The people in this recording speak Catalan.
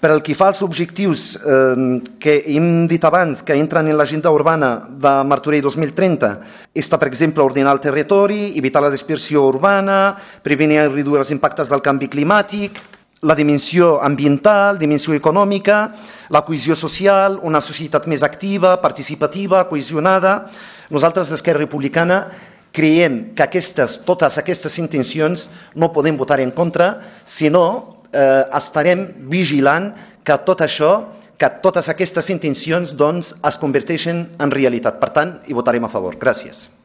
Per al que fa als objectius que hem dit abans, que entren en l'agenda urbana de Martorell 2030, està, per exemple, ordenar el territori, evitar la dispersió urbana, prevenir i reduir els impactes del canvi climàtic, la dimensió ambiental, dimensió econòmica, la cohesió social, una societat més activa, participativa, cohesionada. Nosaltres, d'Esquerra Republicana, creiem que totes aquestes intencions no podem votar en contra, sinó estarem vigilant que tot això, que totes aquestes intencions es converteixen en realitat. Per tant, hi votarem a favor. Gràcies.